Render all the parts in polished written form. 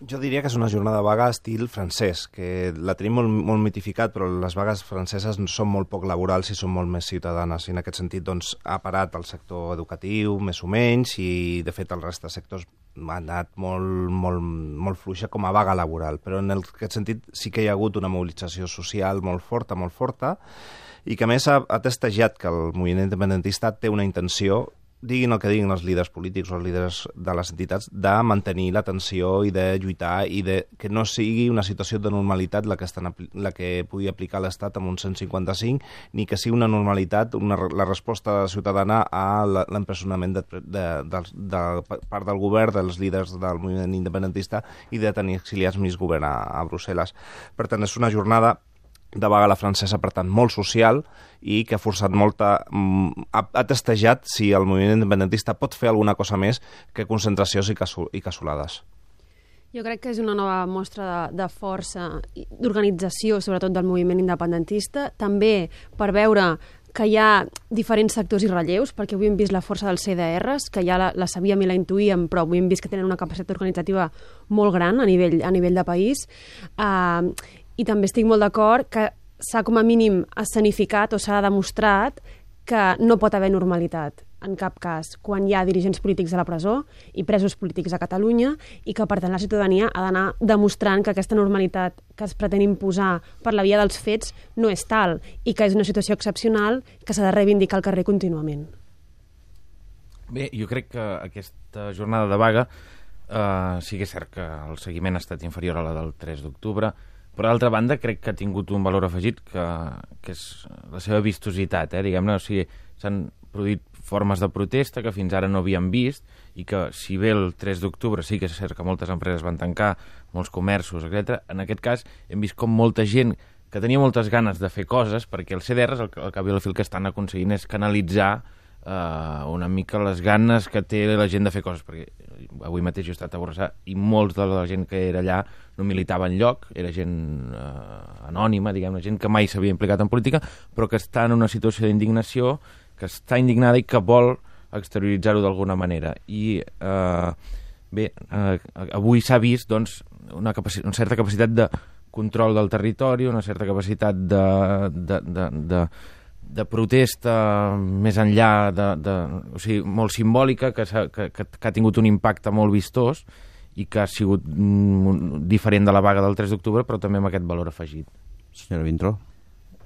Jo diria que és una jornada vaga estil francès, que la tenim molt mitificat, però les vagues franceses són molt poc laborals i són molt més ciutadanes. I en aquest sentit ha parat el sector educatiu, més o menys, i de fet el resta de sectors ha anat molt fluixa com a vaga laboral. Però en aquest sentit sí que hi ha hagut una mobilització social molt forta, i que a més ha testejat que el moviment independentista té una intenció, diguin el que diguin els líders polítics o els líders de les entitats, de mantenir la tensió i de lluitar i de que no sigui una situació de normalitat la que pugui aplicar l'Estat amb un 155, ni que sigui una normalitat la resposta ciutadana a l'empresonament de part del govern, dels líders del moviment independentista i de tenir exiliats mig govern a Brussel·les. Per tant, és una jornada de vaga a la francesa, per tant, molt social i que ha forçat ha testejat si el moviment independentista pot fer alguna cosa més que concentracions i cassolades. Jo crec que és una nova mostra de força, d'organització, sobretot del moviment independentista, també per veure que hi ha diferents sectors i relleus, perquè avui hem vist la força dels CDRs, que ja la sabíem i la intuïem, però avui hem vist que tenen una capacitat organitzativa molt gran a nivell de país. I també estic molt d'acord que s'ha com a mínim escenificat o s'ha demostrat que no pot haver normalitat en cap cas quan hi ha dirigents polítics a la presó i presos polítics a Catalunya i que per tant la ciutadania ha d'anar demostrant que aquesta normalitat que es pretén imposar per la via dels fets no és tal i que és una situació excepcional que s'ha de reivindicar al carrer contínuament. Bé, jo crec que aquesta jornada de vaga sí que és cert que el seguiment ha estat inferior a la del 3 d'octubre. Per altra banda, crec que ha tingut un valor afegit que és la seva vistositat, diguem-ne. O sigui, s'han produït formes de protesta que fins ara no havíem vist i que, si bé el 3 d'octubre sí que és cert que moltes empreses van tancar, molts comerços, etc., en aquest cas hem vist com molta gent que tenia moltes ganes de fer coses, perquè els CDRs, al cap i al fi, el que estan aconseguint és canalitzar una mica les ganes que té la gent de fer coses, perquè avui mateix he estat a Borrassà i molts de la gent que era allà no militava enlloc, era gent anònima, diguem-ne, gent que mai s'havia implicat en política, però que està en una situació d'indignació, que està indignada i que vol exterioritzar-ho d'alguna manera. I bé, avui s'ha vist doncs, una certa capacitat de control del territori, una certa capacitat de protesta més enllà, o sigui, molt simbòlica, que ha tingut un impacte molt vistós i que ha sigut diferent de la vaga del 3 d'octubre, però també amb aquest valor afegit. Senyora Vintró.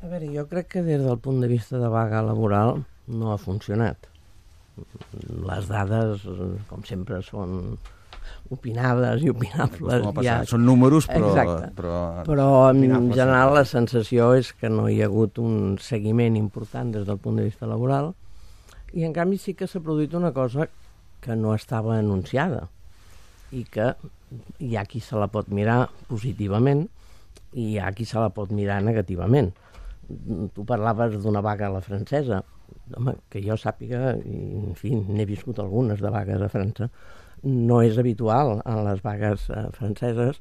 A veure, jo crec que des del punt de vista de vaga laboral no ha funcionat. Les dades, com sempre, són opinades i opinables. Són números, però en general la sensació és que no hi ha hagut un seguiment important des del punt de vista laboral i en canvi sí que s'ha produït una cosa que no estava anunciada i que hi ha qui se la pot mirar positivament i hi ha qui se la pot mirar negativament. Tu parlaves d'una vaga a la francesa. Home, que jo sàpiga, i, en fi, n'he viscut algunes de vagues a França, no és habitual en les vagues franceses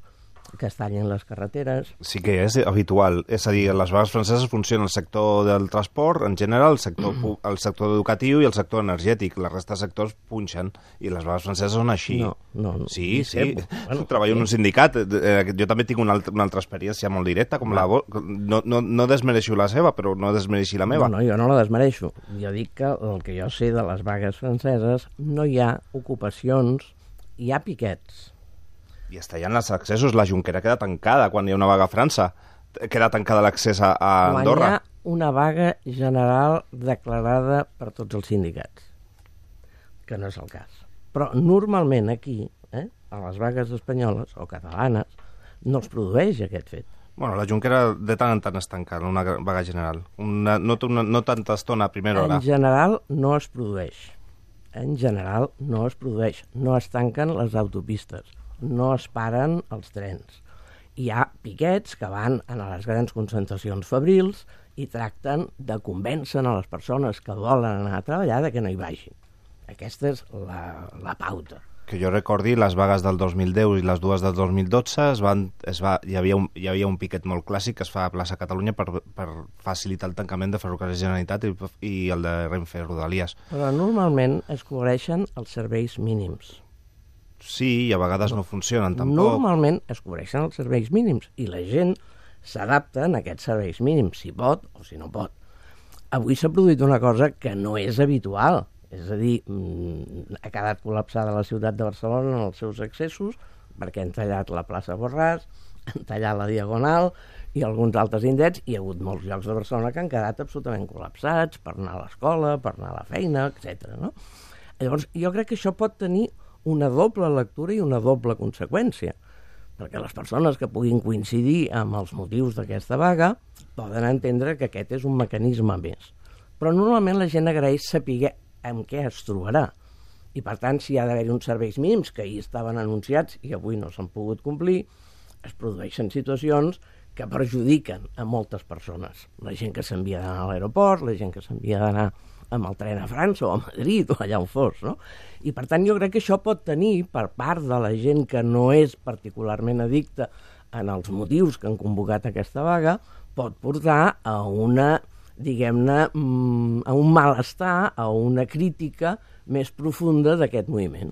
que es tallin les carreteres. Sí que és habitual. És a dir, les vagues franceses funcionen el sector del transport, en general, el sector educatiu i el sector energètic. La resta de sectors punxen i les vagues franceses són així. No. Sí. Bueno, treballo en un sindicat. Jo també tinc una altra experiència molt directa. No desmereixo la seva, però no desmereixi la meva. No, jo no la desmereixo. Jo dic que el que jo sé de les vagues franceses no hi ha ocupacions, hi ha piquets. I està allà en els accessos. La Junquera queda tancada quan hi ha una vaga a França. Queda tancada l'accés a Andorra. Quan hi ha una vaga general declarada per tots els sindicats, que no és el cas. Però normalment aquí, a les vagues espanyoles o catalanes, no es produeix aquest fet. Bueno, la Junquera de tant en tant es tanca en una vaga general. No tanta estona a primera hora. En general no es produeix. No es tanquen les autopistes. No es paren els trens. Hi ha piquets que van a les grans concentracions fabrils i tracten de convèncer a les persones que volen anar a treballar de que no hi vagin. Aquesta és la pauta. Que jo recordi, les vagues del 2010 i les dues del 2012 hi havia un piquet molt clàssic que es fa a plaça Catalunya per facilitar el tancament de Ferrocarrils Generalitat i el de Renfe Rodalies. Però normalment es cobreixen els serveis mínims. sí i a vegades no funcionen tampoc. Normalment es cobreixen els serveis mínims i la gent s'adapta a aquests serveis mínims, si pot o si no pot. Avui s'ha produït una cosa que no és habitual, és a dir, ha quedat col·lapsada la ciutat de Barcelona en els seus accessos perquè han tallat la plaça Borràs, han tallat la Diagonal i alguns altres indrets, i hi ha hagut molts llocs de Barcelona que han quedat absolutament col·lapsats per anar a l'escola, per anar a la feina, etc. No? Llavors, jo crec que això pot tenir una doble lectura i una doble conseqüència, perquè les persones que puguin coincidir amb els motius d'aquesta vaga poden entendre que aquest és un mecanisme més. Però normalment la gent agraeix saber amb què es trobarà. I, per tant, si hi ha d'haver uns serveis mínims que ahir estaven anunciats i avui no s'han pogut complir, es produeixen situacions que perjudiquen a moltes persones. La gent que s'envia d'anar a l'aeroport, la gent que s'envia d'anar amb el tren a França o a Madrid o allà on fos, no? I, per tant, jo crec que això pot tenir, per part de la gent que no és particularment addicta en els motius que han convocat aquesta vaga, pot portar a una, diguem-ne, a un malestar, a una crítica més profunda d'aquest moviment.